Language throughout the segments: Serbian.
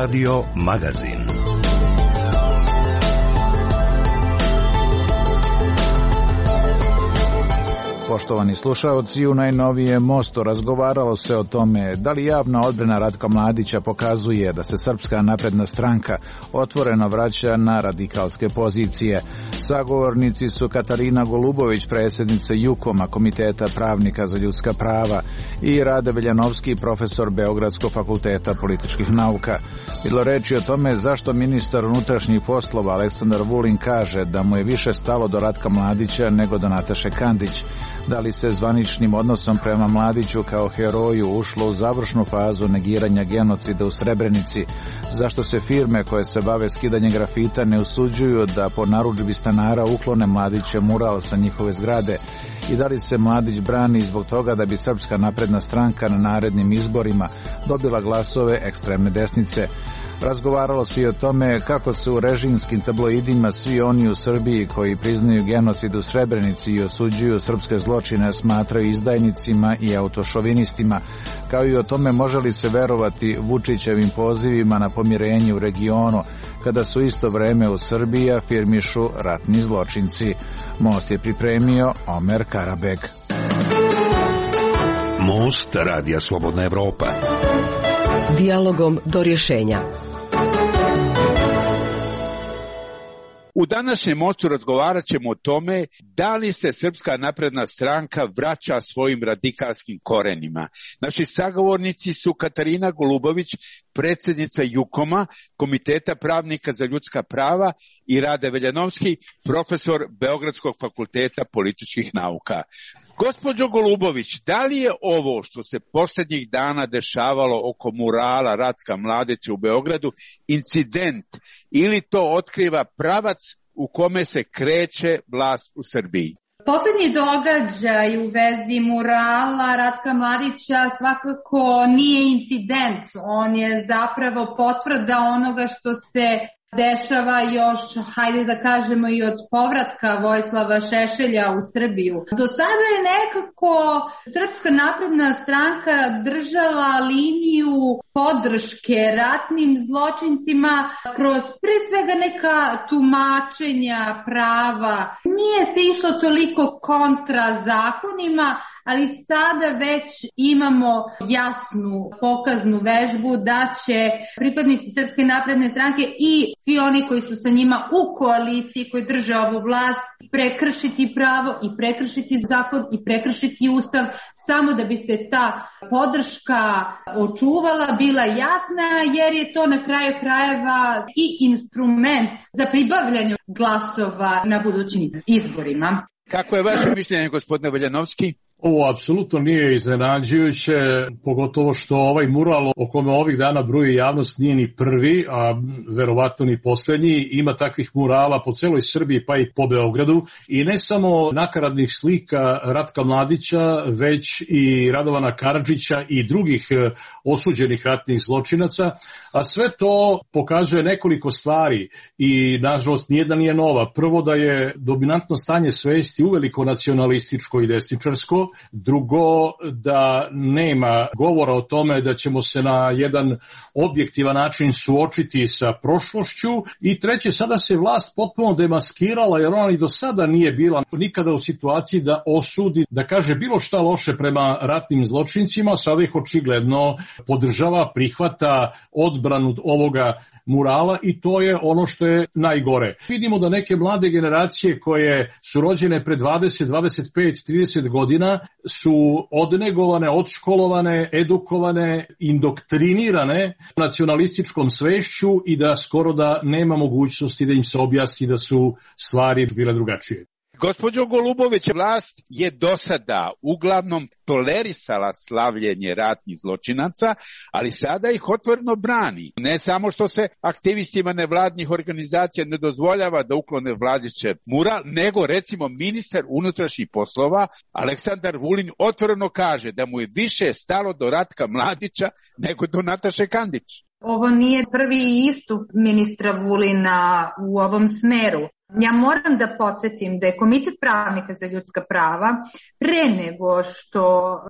Radio Magazin. Poštovani slušaoci, u najnovijem Mostu razgovaralo se o tome da li javna odbrana Ratka Mladića pokazuje da se Srpska napredna stranka otvoreno vraća na radikalske pozicije. Sagovornici su Katarina Golubović, predsjednica JUKOM-a, Komiteta pravnika za ljudska prava, i Rade Veljanovski, profesor Beogradskog fakulteta političkih nauka. Bilo reči o tome zašto ministar unutrašnjih poslova Aleksandar Vulin kaže da mu je više stalo do Ratka Mladića nego do Nataše Kandić. Da li se zvaničnim odnosom prema Mladiću kao heroju ušlo u završnu fazu negiranja genocida u Srebrenici? Zašto se firme koje se bave skidanjem grafita ne usuđuju da po narudžbi stanara uklone Mladića mural sa njihove zgrade? I da li se Mladić brani zbog toga da bi Srpska napredna stranka na narednim izborima dobila glasove ekstremne desnice? Razgovaralo se i o tome kako se u režimskim tabloidima svi oni u Srbiji koji priznaju genocid u Srebrenici i osuđuju srpske zločine smatraju izdajnicima i autošovinistima, kao i o tome može li se verovati Vučićevim pozivima na pomirenje u regionu, kada su isto vreme u Srbiji afirmišu ratni zločinci. Most je pripremio Omer Karabeg. Most Radija Slobodna Evropa. Dijalogom do rješenja. U današnjem Mostu razgovarat ćemo o tome da li se Srpska napredna stranka vraća svojim radikalskim korenima. Naši sagovornici su Katarina Golubović, predsjednica JUKOM-a, Komiteta pravnika za ljudska prava, i Rade Veljanovski, profesor Beogradskog fakulteta političkih nauka. Gospođo Golubović, da li je ovo što se posljednjih dana dešavalo oko murala Ratka Mladića u Beogradu incident ili to otkriva pravac u kome se kreće vlast u Srbiji? Posljednji događaj u vezi murala Ratka Mladića svakako nije incident, on je zapravo potvrda onoga što se dešava još, hajde da kažemo, i od povratka Vojislava Šešelja u Srbiju. Do sada je nekako Srpska napredna stranka držala liniju podrške ratnim zločincima kroz pre svega neka tumačenja prava. Nije se išlo toliko kontra zakonima, ali sada već imamo jasnu pokaznu vežbu da će pripadnici Srpske napredne stranke i svi oni koji su sa njima u koaliciji, koji drže ovu vlast, prekršiti pravo i prekršiti zakon i prekršiti ustav, samo da bi se ta podrška očuvala, bila jasna, jer je to na kraju krajeva i instrument za pribavljanje glasova na budućim izborima. Kako je vaše mišljenje, gospodine Veljanovski? Ovo apsolutno nije iznenađujuće, pogotovo što ovaj mural o kome ovih dana bruji javnost nije ni prvi, a verovatno ni posljednji. Ima takvih murala po celoj Srbiji pa i po Beogradu, i ne samo nakaradnih slika Ratka Mladića, već i Radovana Karadžića i drugih osuđenih ratnih zločinaca, a sve to pokazuje nekoliko stvari i nažalost nijedna nije nova. Prvo, da je dominantno stanje svesti uveliko nacionalističko i desničarsko. Drugo, da nema govora o tome da ćemo se na jedan objektivan način suočiti sa prošlošću. I treće, sada se vlast potpuno demaskirala, jer ona i do sada nije bila nikada u situaciji da osudi, da kaže bilo šta loše prema ratnim zločincima. Sada ih očigledno podržava, prihvata odbranu ovoga murala, i to je ono što je najgore. Vidimo da neke mlade generacije koje su rođene pre 20, 25, 30 godina su odnegovane, odškolovane, edukovane, indoktrinirane nacionalističkom svešću i da skoro da nema mogućnosti da im se objasni da su stvari bile drugačije. Gospođo Golubović, vlast je do sada uglavnom tolerisala slavljenje ratnih zločinaca, ali sada ih otvoreno brani. Ne samo što se aktivistima nevladnih organizacija ne dozvoljava da uklone Mladićev mural, nego recimo ministar unutrašnjih poslova Aleksandar Vulin otvoreno kaže da mu je više stalo do Ratka Mladića nego do Nataše Kandić. Ovo nije prvi istup ministra Vulina u ovom smeru. Ja moram da podsjetim da je Komitet pravnika za ljudska prava pre nego što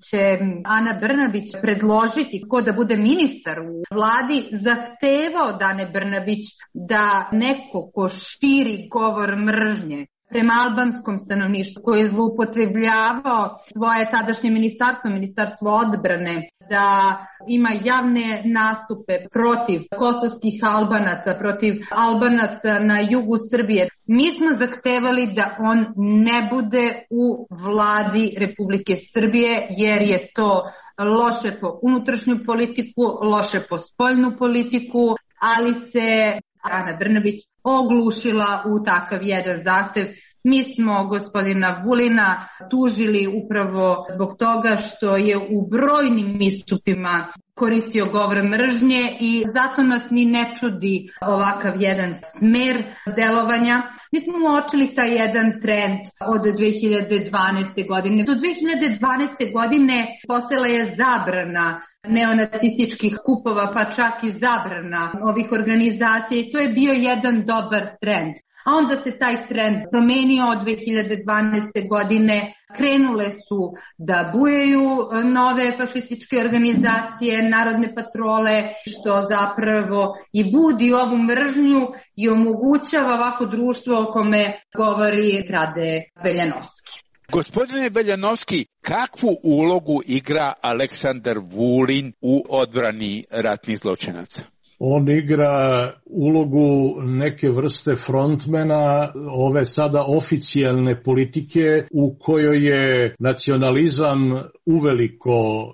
će Ana Brnabić predložiti ko da bude ministar u vladi, zahtevao od Ane Brnabić da neko ko širi govor mržnje prema albanskom stanovništvu, koji je zloupotrebljavao svoje tadašnje ministarstvo odbrane, da ima javne nastupe protiv kosovskih Albanaca, protiv Albanaca na jugu Srbije. Mi smo zahtevali da on ne bude u vladi Republike Srbije, jer je to loše po unutrašnju politiku, loše po spoljnu politiku, ali se Ana Brnabić oglušila u takav jedan zahtev. Mi smo gospodina Vulina tužili upravo zbog toga što je u brojnim istupima koristio govor mržnje i zato nas ni ne čudi ovakav jedan smer delovanja. Mi smo uočili taj jedan trend od 2012. godine. Do 2012. godine postojala je zabrana neonacističkih skupova, pa čak i zabrana ovih organizacija i to je bio jedan dobar trend. A onda se taj trend promenio od 2012. godine, krenule su da bujaju nove fašističke organizacije, narodne patrole, što zapravo i budi ovu mržnju i omogućava ovako društvo o kome govori Rade Veljanovski. Gospodine Veljanovski, kakvu ulogu igra Aleksandar Vulin u odbrani ratnih zločinaca? On igra ulogu neke vrste frontmena ove sada oficijalne politike u kojoj je nacionalizam uveliko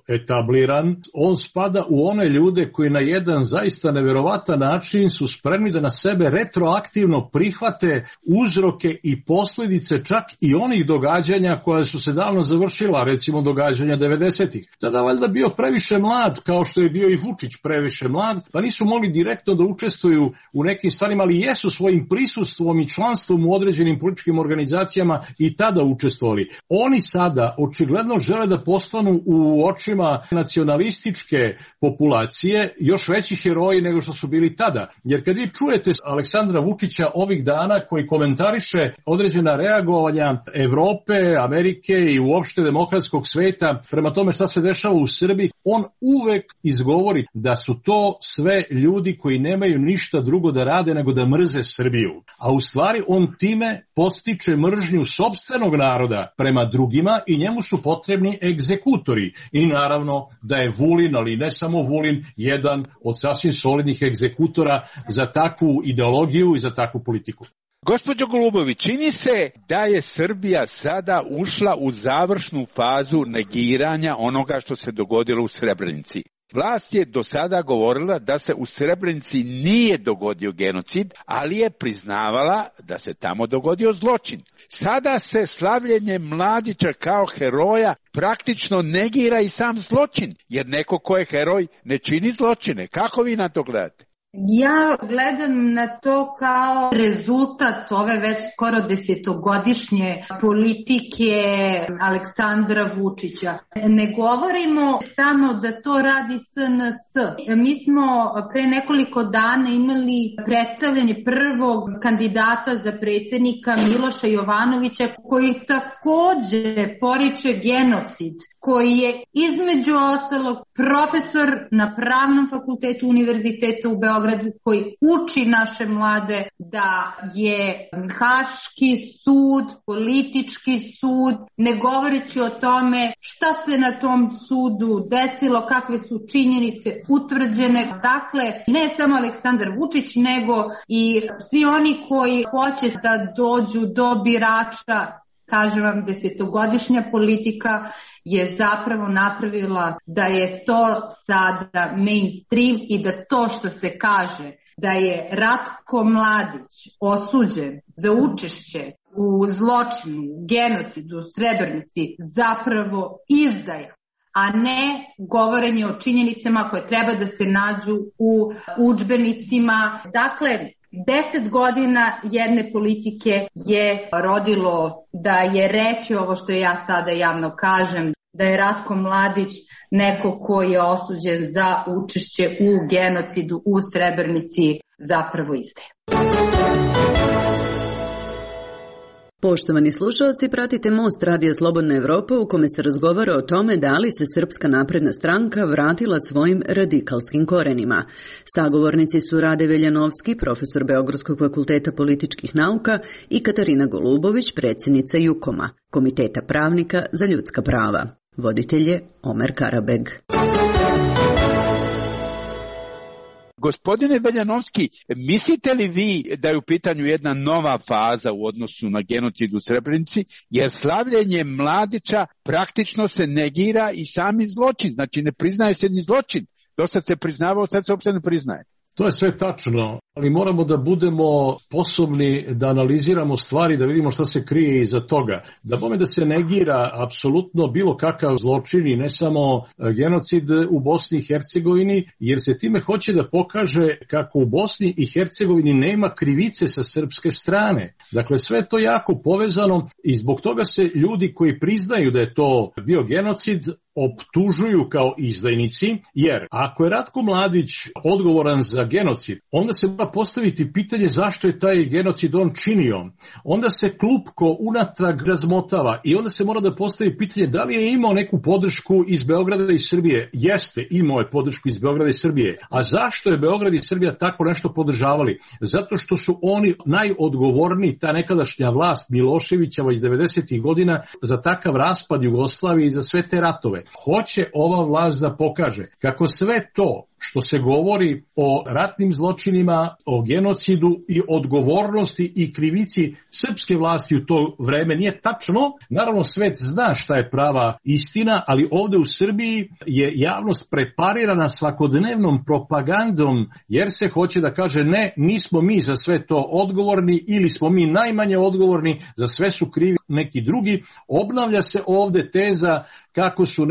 etabliran. On spada u one ljude koji na jedan zaista neverovatan način su spremni da na sebe retroaktivno prihvate uzroke i posljedice čak i onih događanja koja su se davno završila, recimo događanja 90-ih. Tada valjda bio previše mlad, kao što je bio i Vučić previše mlad, pa nisu mogli direktno da učestvuju u nekim stvarima, ali jesu svojim prisustvom i članstvom u određenim političkim organizacijama i tada učestvovali. Oni sada očigledno žele da postanu u očima nacionalističke populacije još veći heroji nego što su bili tada. Jer kad vi čujete Aleksandra Vučića ovih dana koji komentariše određena reagovanja Evrope, Amerike i uopšte demokratskog sveta prema tome šta se dešava u Srbiji, on uvek izgovori da su to sve ljudi koji nemaju ništa drugo da rade nego da mrze Srbiju. A u stvari on time podstiče mržnju sopstvenog naroda prema drugima i njemu su potrebni egzekutori. I naravno da je Vulin, ali ne samo Vulin, jedan od sasvim solidnih egzekutora za takvu ideologiju i za takvu politiku. Gospođo Golubović, čini se da je Srbija sada ušla u završnu fazu negiranja onoga što se dogodilo u Srebrenici. Vlast je do sada govorila da se u Srebrenici nije dogodio genocid, ali je priznavala da se tamo dogodio zločin. Sada se slavljenje Mladića kao heroja praktično negira i sam zločin, jer neko ko je heroj ne čini zločine. Kako vi na to gledate? Ja gledam na to kao rezultat ove već skoro 10-godišnje politike Aleksandra Vučića. Ne govorimo samo da to radi SNS. Mi smo pre nekoliko dana imali predstavljanje prvog kandidata za predsjednika Miloša Jovanovića, koji takođe poriče genocid, koji je između ostalog profesor na Pravnom fakultetu Univerziteta u Beogradu, koji uči naše mlade da je Haški sud, politički sud, ne govoreći o tome šta se na tom sudu desilo, kakve su činjenice utvrđene. Dakle, ne samo Aleksandar Vučić, nego i svi oni koji hoće da dođu do birača. Kažem vam, 10-godišnja politika je zapravo napravila da je to sada mainstream i da to što se kaže da je Ratko Mladić osuđen za učešće u zločinu, genocidu u Srebrenici zapravo izdaja, a ne govorenje o činjenicama koje treba da se nađu u udžbenicima. Dakle, 10 godina jedne politike je rodilo da je reći ovo što ja sada javno kažem, da je Ratko Mladić neko ko je osuđen za učešće u genocidu u Srebrenici zapravo izdaja. Poštovani slušalci, pratite Most Radija Slobodna Evropa u kome se razgovara o tome da li se Srpska napredna stranka vratila svojim radikalskim korenima. Sagovornici su Rade Veljanovski, profesor Beogradskog fakulteta političkih nauka, i Katarina Golubović, predsjednica JUKOM-a, Komiteta pravnika za ljudska prava. Voditelj je Omer Karabeg. Gospodine Veljanovski, mislite li vi da je u pitanju jedna nova faza u odnosu na genocid u Srebrenici, jer slavljenje Mladića praktično se negira i sami zločin, znači ne priznaje se ni zločin. Dosad se priznavao, sad se uopšte ne priznaje. To je sve tačno, ali moramo da budemo sposobni da analiziramo stvari, da vidimo šta se krije iza toga. Da se negira apsolutno bilo kakav zločin i ne samo genocid u Bosni i Hercegovini, jer se time hoće da pokaže kako u Bosni i Hercegovini nema krivice sa srpske strane. Dakle, sve je to jako povezano i zbog toga se ljudi koji priznaju da je to bio genocid optužuju kao izdajnici, jer ako je Ratko Mladić odgovoran za genocid, onda se mora postaviti pitanje zašto je taj genocid on činio. Onda se klupko unatrag razmotava i onda se mora da postavi pitanje da li je imao neku podršku iz Beograda i Srbije. Jeste, imao je podršku iz Beograda i Srbije. A zašto je Beograd i Srbija tako nešto podržavali? Zato što su oni najodgovorniji, ta nekadašnja vlast Miloševićeva iz 90. godina, za takav raspad Jugoslavije i za sve te ratove. Hoće ova vlast da pokaže kako sve to što se govori o ratnim zločinima, o genocidu i odgovornosti i krivici srpske vlasti u to vreme nije tačno. Naravno, svet zna šta je prava istina, ali ovde u Srbiji je javnost preparirana svakodnevnom propagandom, jer se hoće da kaže ne, nismo mi za sve to odgovorni ili smo mi najmanje odgovorni, za sve su krivi neki drugi. Obnavlja se ovde teza kako su,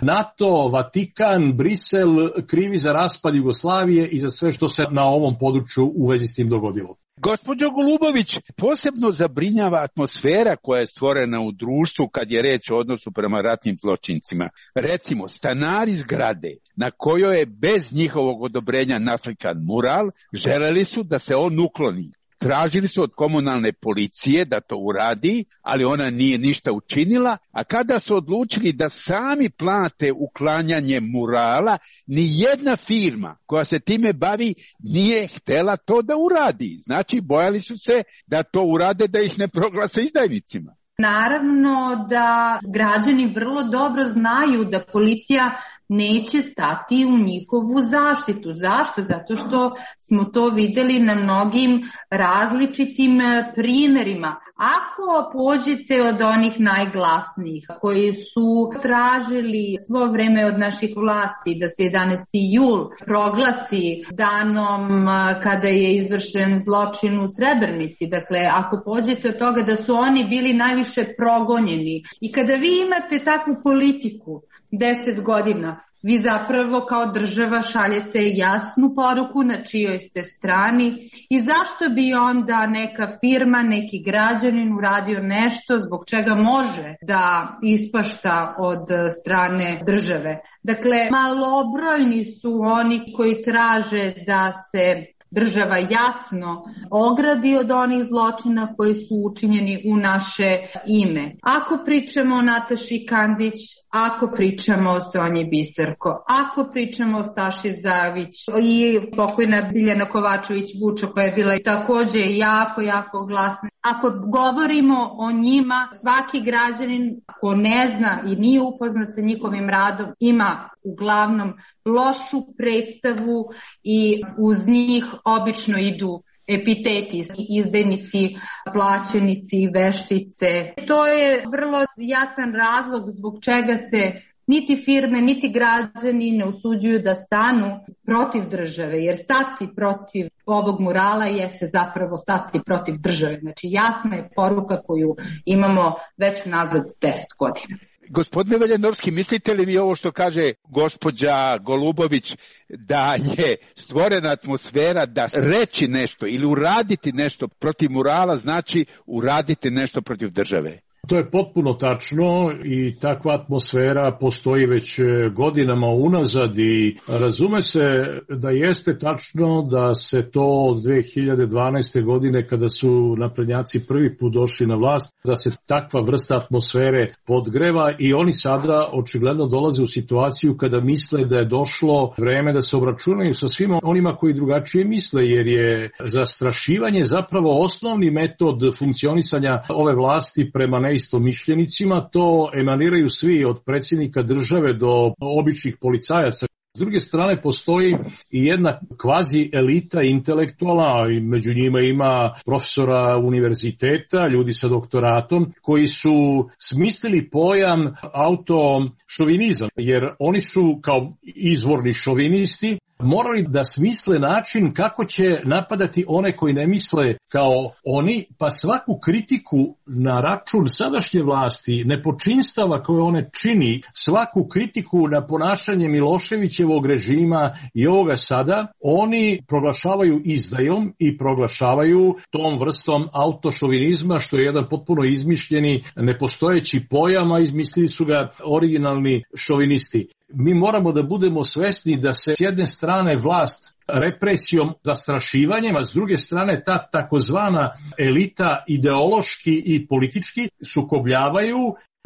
NATO, Vatikan, Brisel krivi za raspad Jugoslavije i za sve što se na ovom području u vezi s tim dogodilo. Gospođo Golubović, posebno zabrinjava atmosfera koja je stvorena u društvu kad je reč o odnosu prema ratnim zločincima. Recimo, stanari zgrade na kojoj je bez njihovog odobrenja naslikan mural, želeli su da se on ukloni. Tražili su od komunalne policije da to uradi, ali ona nije ništa učinila, a kada su odlučili da sami plate uklanjanje murala, ni jedna firma koja se time bavi nije htela to da uradi. Znači, bojali su se da to urade, da ih ne proglase izdajnicima. Naravno da građani vrlo dobro znaju da policija neće stati u njihovu zaštitu. Zašto? Zato što smo to videli na mnogim različitim primjerima. Ako pođete od onih najglasnijih koji su tražili svo vreme od naših vlasti da se 11. jul proglasi danom kada je izvršen zločin u Srebrenici, dakle ako pođete od toga da su oni bili najviše progonjeni i kada vi imate takvu politiku 10 godina, vi zapravo kao država šaljete jasnu poruku na čijoj ste strani i zašto bi onda neka firma, neki građanin uradio nešto zbog čega može da ispašta od strane države. Dakle, malobrojni su oni koji traže da se država jasno ogradi od onih zločina koji su učinjeni u naše ime. Ako pričamo o Nataši Kandić, ako pričamo o Sonji Biserko, ako pričamo o Staši Zavić i pokojna Biljana Kovačević-Vučo koja je bila također jako glasna. Ako govorimo o njima, svaki građanin ko ne zna i nije upoznat sa njihovim radom ima uglavnom lošu predstavu i uz njih obično idu epiteti, izdajnici, plaćenici, veštice. To je vrlo jasan razlog zbog čega se niti firme, niti građani ne usuđuju da stanu protiv države, jer stati protiv ovog murala jeste zapravo stati protiv države. Znači jasna je poruka koju imamo već nazad 10 godina. Gospodine Veljanovski, mislite li vi ovo što kaže gospođa Golubović, da je stvorena atmosfera da reći nešto ili uraditi nešto protiv murala znači uraditi nešto protiv države? To je potpuno tačno i takva atmosfera postoji već godinama unazad i razume se da jeste tačno da se to od 2012. godine kada su naprednjaci prvi put došli na vlast, da se takva vrsta atmosfere podgreva i oni sada očigledno dolaze u situaciju kada misle da je došlo vreme da se obračunaju sa svima onima koji drugačije misle, jer je zastrašivanje zapravo osnovni metod funkcionisanja ove vlasti prema neistomišljenicima. To emaniraju svi od predsjednika države do običnih policajaca. S druge strane postoji i jedna kvazi elita intelektualna, i među njima ima profesora univerziteta, ljudi sa doktoratom, koji su smislili pojam autošovinizam, jer oni su kao izvorni šovinisti morali da smisle način kako će napadati one koji ne misle kao oni, pa svaku kritiku na račun sadašnje vlasti, nepočinstava koje one čini, svaku kritiku na ponašanje Miloševićevog režima i ovoga sada, oni proglašavaju izdajom i proglašavaju tom vrstom autošovinizma, što je jedan potpuno izmišljeni, nepostojeći pojam, a izmislili su ga originalni šovinisti. Mi moramo da budemo svesni da se s jedne strane vlast represijom, zastrašivanjem, a s druge strane ta takozvana elita ideološki i politički sukobljavaju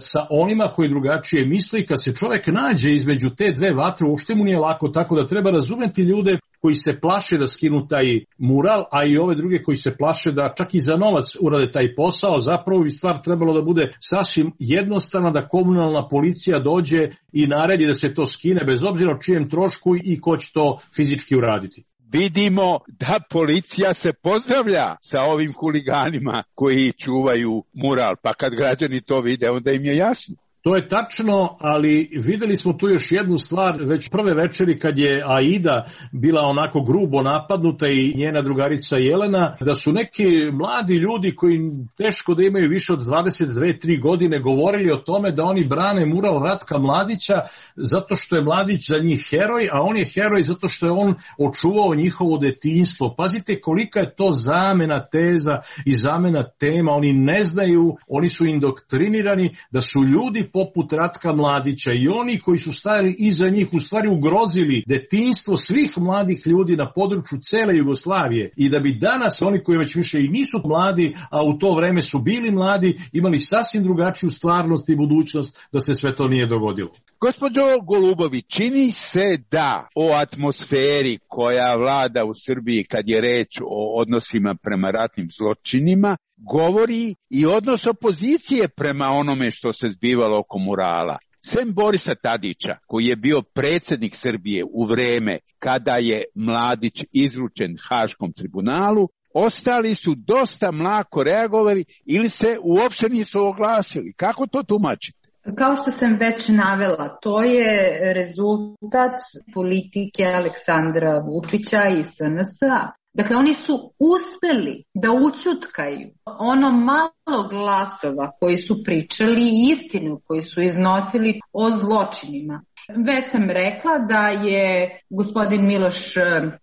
sa onima koji drugačije misle. Kad se čovjek nađe između te dve vatre, uopšte mu nije lako, tako da treba razumeti ljude koji se plaše da skinu taj mural, a i ove druge koji se plaše da čak i za novac urade taj posao. Zapravo bi stvar trebalo da bude sasvim jednostavna, da komunalna policija dođe i naredi da se to skine, bez obzira o čijem trošku i ko će to fizički uraditi. Vidimo da policija se pozdravlja sa ovim huliganima koji čuvaju mural, pa kad građani to vide, onda im je jasno. To je tačno, ali videli smo tu još jednu stvar, već prve večeri kad je Aida bila onako grubo napadnuta i njena drugarica Jelena, da su neki mladi ljudi koji teško da imaju više od 22-3 godine govorili o tome da oni brane mural Ratka Mladića zato što je Mladić za njih heroj, a on je heroj zato što je on očuvao njihovo detinjstvo. Pazite kolika je to zamena teza i zamena tema, oni ne znaju, oni su indoktrinirani da su ljudi poput Ratka Mladića i oni koji su stajali iza njih u stvari ugrozili detinjstvo svih mladih ljudi na području cele Jugoslavije i da bi danas oni koji već više i nisu mladi, a u to vreme su bili mladi, imali sasvim drugačiju stvarnost i budućnost da se sve to nije dogodilo. Gospođo Golubović, čini se da o atmosferi koja vlada u Srbiji kad je reč o odnosima prema ratnim zločinima govori i odnos opozicije prema onome što se zbivalo oko murala. Sem Borisa Tadića, koji je bio predsjednik Srbije u vreme kada je Mladić izručen Haškom tribunalu, ostali su dosta mlako reagovali ili se uopšte nisu oglasili. Kako to tumačite? Kao što sam već navela, to je rezultat politike Aleksandra Vučića i SNS-a. Dakle, oni su uspeli da ućutkaju ono malo glasova koji su pričali istinu, koji su iznosili o zločinima. Već sam rekla da je gospodin Miloš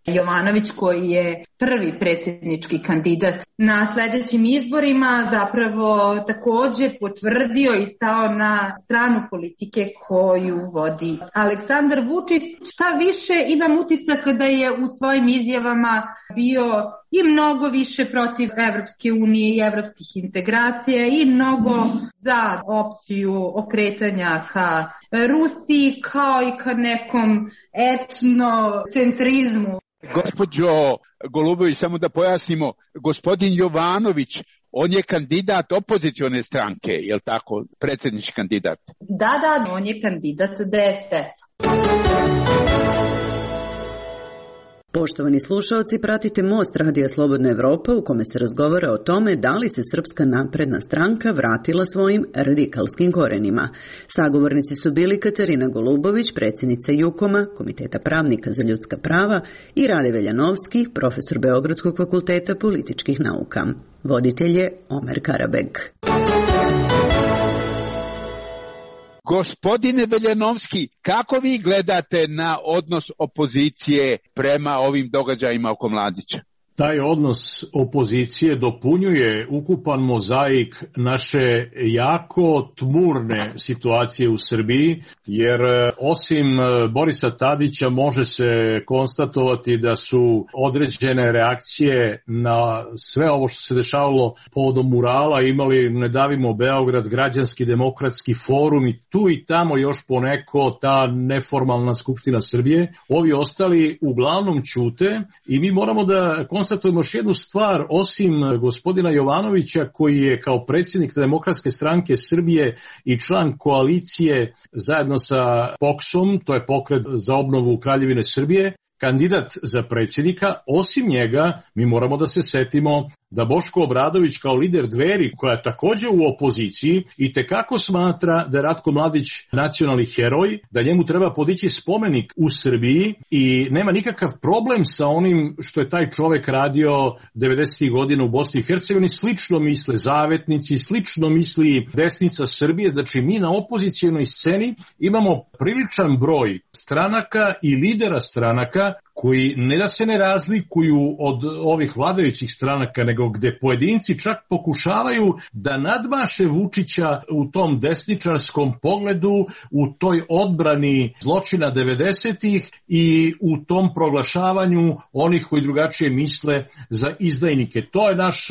Jovanović, koji je prvi predsjednički kandidat na sljedećim izborima, zapravo također potvrdio i stao na stranu politike koju vodi Aleksandar Vučić. Šta više, imam utisak da je u svojim izjavama bio i mnogo više protiv Evropske unije i evropskih integracija i mnogo za opciju okretanja ka Rusiji kao i ka nekom etnocentrizmu. Gospođo Golubović, samo da pojasnimo, gospodin Jovanović, on je kandidat opozicione stranke, je li tako, predsjednički kandidat? Da, on je kandidat DSS. Poštovani slušaoci, pratite Most Radija Slobodna Evropa u kome se razgovara o tome da li se Srpska napredna stranka vratila svojim radikalskim korenima. Sagovornici su bili Katarina Golubović, predsjednica JUKOM-a, Komiteta pravnika za ljudska prava, i Rade Veljanovski, profesor Beogradskog fakulteta političkih nauka. Voditelj je Omer Karabeg. Gospodine Veljanovski, kako vi gledate na odnos opozicije prema ovim događajima oko Mladića? Taj odnos opozicije dopunjuje ukupan mozaik naše jako tmurne situacije u Srbiji, jer osim Borisa Tadića može se konstatovati da su određene reakcije na sve ovo što se dešavalo povodom murala imali Ne davimo Beograd, Građanski demokratski forum i tu i tamo još poneko ta neformalna Skupština Srbije. Ovi ostali uglavnom ćute i mi moramo da konstatujemo još jednu stvar, osim gospodina Jovanovića koji je kao predsjednik Demokratske stranke Srbije i član koalicije zajedno sa POKS-om, to je Pokret za obnovu Kraljevine Srbije, kandidat za predsjednika. Osim njega mi moramo da se setimo da Boško Obradović kao lider Dveri, koja je također u opoziciji, i tekako smatra da je Ratko Mladić nacionalni heroj, da njemu treba podići spomenik u Srbiji i nema nikakav problem sa onim što je taj čovek radio 90. godina u Bosni i Hercegovini. Slično misle zavetnici, slično misli desnica Srbije. Znači mi na opozicijonoj sceni imamo priličan broj stranaka i lidera stranaka koji ne da se ne razlikuju od ovih vladajućih stranaka, nego gde pojedinci čak pokušavaju da nadmaše Vučića u tom desničarskom pogledu, u toj odbrani zločina 90-ih i u tom proglašavanju onih koji drugačije misle za izdajnike. To je naš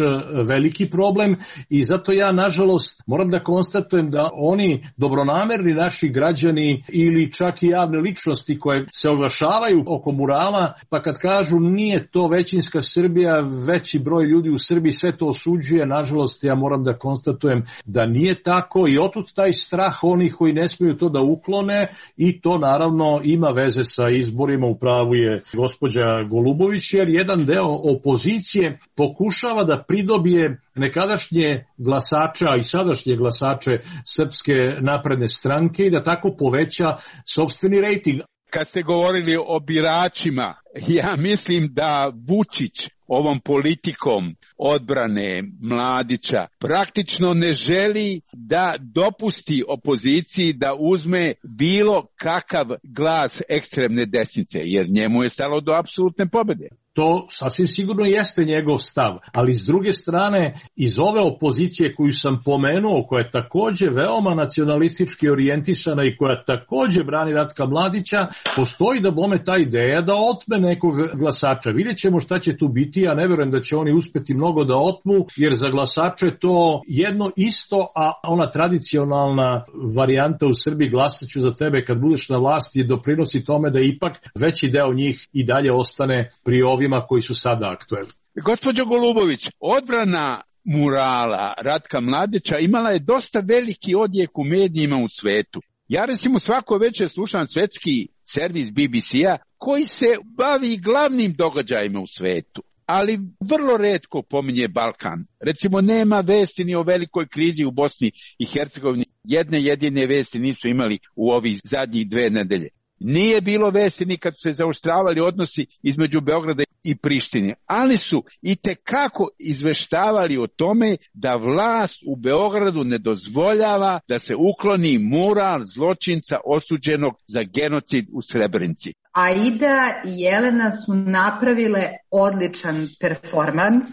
veliki problem i zato ja, nažalost, moram da konstatujem da oni dobronamerni naši građani ili čak i javne ličnosti koje se oglašavaju oko murala, pa kad kažu nije to većinska Srbija, veći broj ljudi u Srbiji sve to osuđuje, nažalost ja moram da konstatujem da nije tako i otud taj strah onih koji ne smiju to da uklone i to naravno ima veze sa izborima, u pravu je gospođa Golubović, jer jedan deo opozicije pokušava da pridobije nekadašnje glasača i sadašnje glasače Srpske napredne stranke i da tako poveća sopstveni rejting. Kad ste govorili o biračima, ja mislim da Vučić ovom politikom odbrane Mladića praktično ne želi da dopusti opoziciji da uzme bilo kakav glas ekstremne desnice, jer njemu je stalo do apsolutne pobjede. To sasvim sigurno jeste njegov stav, ali s druge strane iz ove opozicije koju sam pomenuo, koja je također veoma nacionalistički orijentisana i koja također brani Ratka Mladića, postoji da bome ta ideja da otme nekog glasača. Vidjet ćemo šta će tu biti, ja ne vjerujem da će oni uspjeti mnogo da otmu, jer za glasače je to jedno isto, a ona tradicionalna varijanta u Srbiji glasaću za tebe kad budeš na vlasti doprinosi tome da ipak veći deo njih i dalje ostane pri ovima koji su sada aktuelni. Gospođo Golubović, odbrana murala Ratka Mladića imala je dosta veliki odjek u medijima u svetu. Ja recimo svako večer slušam svetski servis BBC-a koji se bavi glavnim događajima u svetu, ali vrlo retko pominje Balkan. Recimo nema vesti ni o velikoj krizi u Bosni i Hercegovini. Jedne jedine vesti nisu imali u ovih zadnjih 2 nedelje. Nije bilo vesti ni kad su se zaoštravali odnosi između Beograda i Prištine, ali su itekako izveštavali o tome da vlast u Beogradu ne dozvoljava da se ukloni mural zločinca osuđenog za genocid u Srebrenici. Aida i Jelena su napravile odličan performans.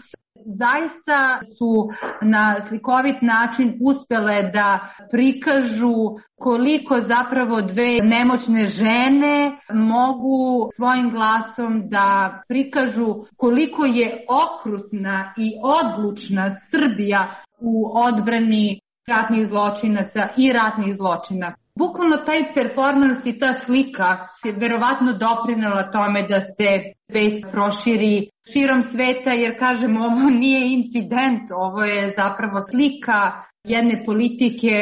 Zaista su na slikovit način uspjele da prikažu koliko zapravo 2 nemoćne žene mogu svojim glasom da prikažu koliko je okrutna i odlučna Srbija u odbrani ratnih zločinaca i ratnih zločina. Bukvalno taj performans i ta slika je verovatno doprinela tome da se vest proširi širom sveta, jer kažem, ovo nije incident, ovo je zapravo slika jedne politike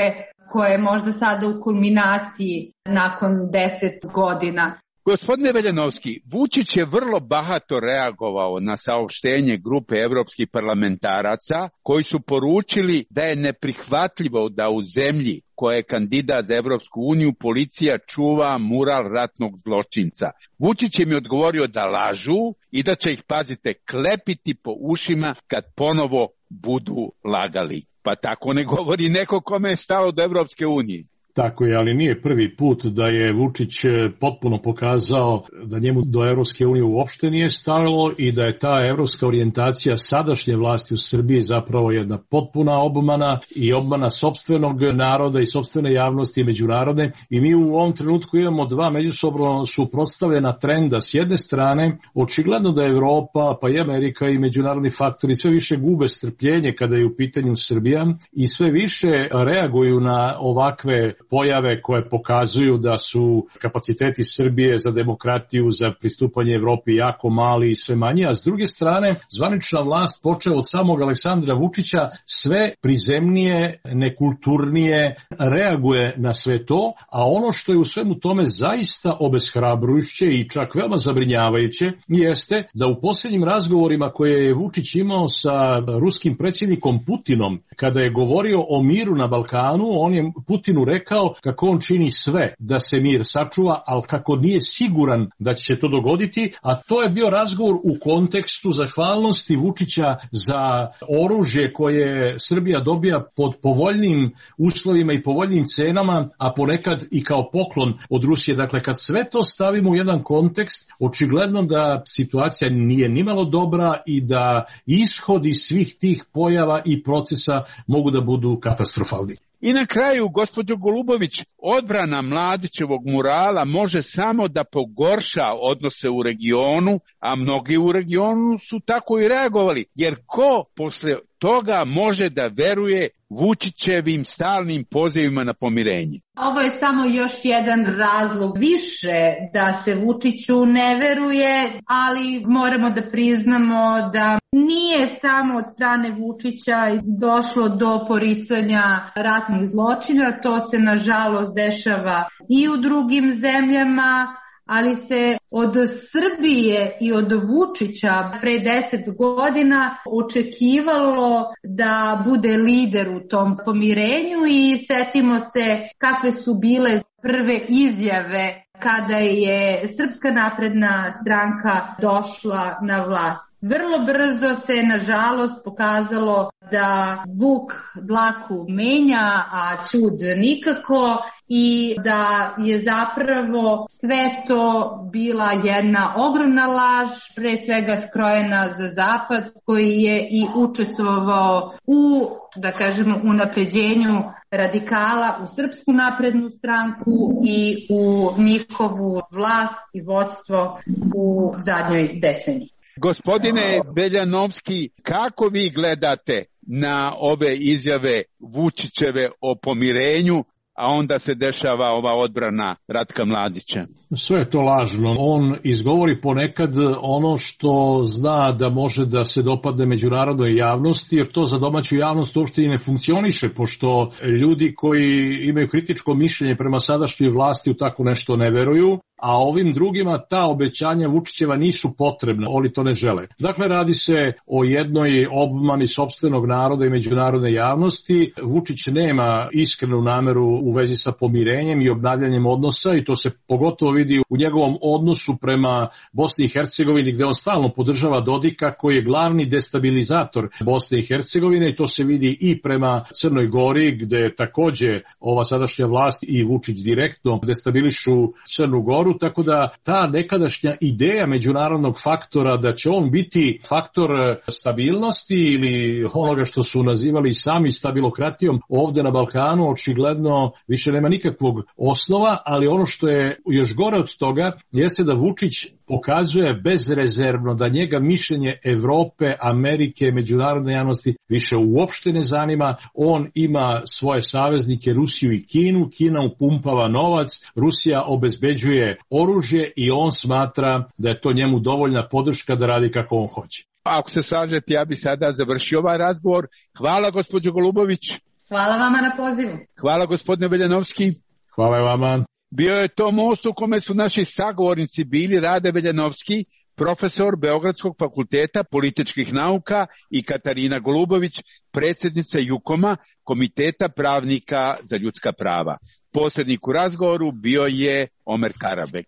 koja je možda sada u kulminaciji nakon 10 godina. Gospodine Veljanovski, Vučić je vrlo bahato reagovao na saopštenje grupe evropskih parlamentaraca koji su poručili da je neprihvatljivo da u zemlji koja je kandidat za Evropsku uniju policija čuva mural ratnog zločinca. Vučić im je odgovorio da lažu i da će ih, pazite, klepiti po ušima kad ponovo budu lagali. Pa tako ne govori neko kome je stalo do Evropske unije. Tako je, ali nije prvi put da je Vučić potpuno pokazao da njemu do Evropske unije uopšte nije stalo i da je ta evropska orijentacija sadašnje vlasti u Srbiji zapravo jedna potpuna obmana i obmana sopstvenog naroda i sopstvene javnosti i međunarodne. I mi u ovom trenutku imamo dva međusobno suprotstavljena trenda. S jedne strane, očigledno da Evropa, pa i Amerika i međunarodni faktori sve više gube strpljenje kada je u pitanju Srbija i sve više reaguju na ovakve pojave koje pokazuju da su kapaciteti Srbije za demokratiju, za pristupanje Evropi jako mali i sve manji, a s druge strane zvanična vlast počeo od samog Aleksandra Vučića sve prizemnije, nekulturnije reaguje na sve to, a ono što je u svemu tome zaista obeshrabrujuće i čak veoma zabrinjavajuće jeste da u posljednjim razgovorima koje je Vučić imao sa ruskim predsjednikom Putinom, kada je govorio o miru na Balkanu, on je Putinu rekao kako on čini sve da se mir sačuva, ali kako nije siguran da će se to dogoditi, a to je bio razgovor u kontekstu zahvalnosti Vučića za oružje koje Srbija dobija pod povoljnim uslovima i povoljnim cenama, a ponekad i kao poklon od Rusije. Dakle, kad sve to stavimo u jedan kontekst, očigledno da situacija nije nimalo dobra i da ishodi svih tih pojava i procesa mogu da budu katastrofalni. I na kraju, gospođo Golubović, odbrana Mladićevog murala može samo da pogorša odnose u regionu, a mnogi u regionu su tako i reagovali, jer ko posle toga može da veruje Vučićevim stalnim pozivima na pomirenje? Ovo je samo još jedan razlog više da se Vučiću ne veruje, ali moramo da priznamo da nije samo od strane Vučića došlo do poricanja ratnih zločina, to se nažalost dešava i u drugim zemljama, ali se od Srbije i od Vučića pre 10 godina očekivalo da bude lider u tom pomirenju i setimo se kakve su bile prve izjave kada je Srpska napredna stranka došla na vlast. Vrlo brzo se, nažalost, pokazalo da vuk dlaku menja, a ćud nikako, i da je zapravo sve to bila jedna ogromna laž, pre svega skrojena za Zapad, koji je i učestvovao u, da kažemo, unapređenju radikala u Srpsku naprednu stranku i u njihovu vlast i vodstvo u zadnjoj deceniji. Gospodine Veljanovski, kako vi gledate na ove izjave Vučićeve o pomirenju, a onda se dešava ova odbrana Ratka Mladića? Sve je to lažno. On izgovori ponekad ono što zna da može da se dopadne međunarodnoj javnosti, jer to za domaću javnost uopšte i ne funkcioniše, pošto ljudi koji imaju kritičko mišljenje prema sadašnjoj vlasti u tako nešto ne veruju, a ovim drugima ta obećanja Vučićeva nisu potrebna, oni to ne žele. Dakle, radi se o jednoj obmani sopstvenog naroda i međunarodne javnosti. Vučić nema iskrenu nameru u vezi sa pomirenjem i obnavljanjem odnosa i to se pogotovo vidi u njegovom odnosu prema Bosni i Hercegovini, gde on stalno podržava Dodika koji je glavni destabilizator Bosne i Hercegovine, i to se vidi i prema Crnoj Gori, gde takođe ova sadašnja vlast i Vučić direktno destabilišu Crnu Goru. Tako da ta nekadašnja ideja međunarodnog faktora da će on biti faktor stabilnosti ili onoga što su nazivali sami stabilokratijom ovde na Balkanu očigledno više nema nikakvog osnova, ali ono što je još gore od toga jeste da Vučić pokazuje bezrezervno da njega mišljenje Evrope, Amerike, međunarodne javnosti više uopšte ne zanima. On ima svoje saveznike Rusiju i Kinu, Kina upumpava novac, Rusija obezbeđuje oružje i on smatra da je to njemu dovoljna podrška da radi kako on hoće. Ako se slažete, ja bi sada završio ovaj razgovor. Hvala, gospođo Golubović. Hvala vama na pozivu. Hvala, gospodine Veljanovski. Hvala vama. Bio je to most u kome su naši sagovornici bili Rade Veljanovski, profesor Beogradskog fakulteta političkih nauka, i Katarina Golubović, predsjednica JUKOM-a, Komiteta pravnika za ljudska prava. Posrednik u razgovoru bio je Omer Karabek.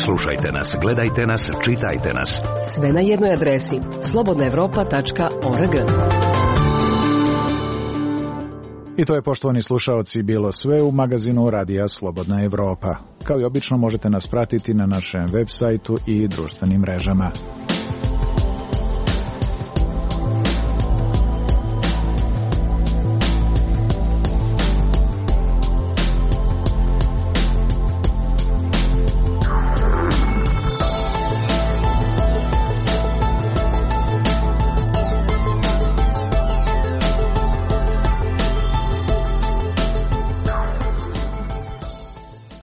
Slušajte nas, gledajte nas, čitajte nas. Sve na jednoj adresi slobodnaevropa.org. I to je, poštovani slušaoci, bilo sve u magazinu Radija Slobodna Evropa. Kao i obično možete nas pratiti na našem web sajtu i društvenim mrežama.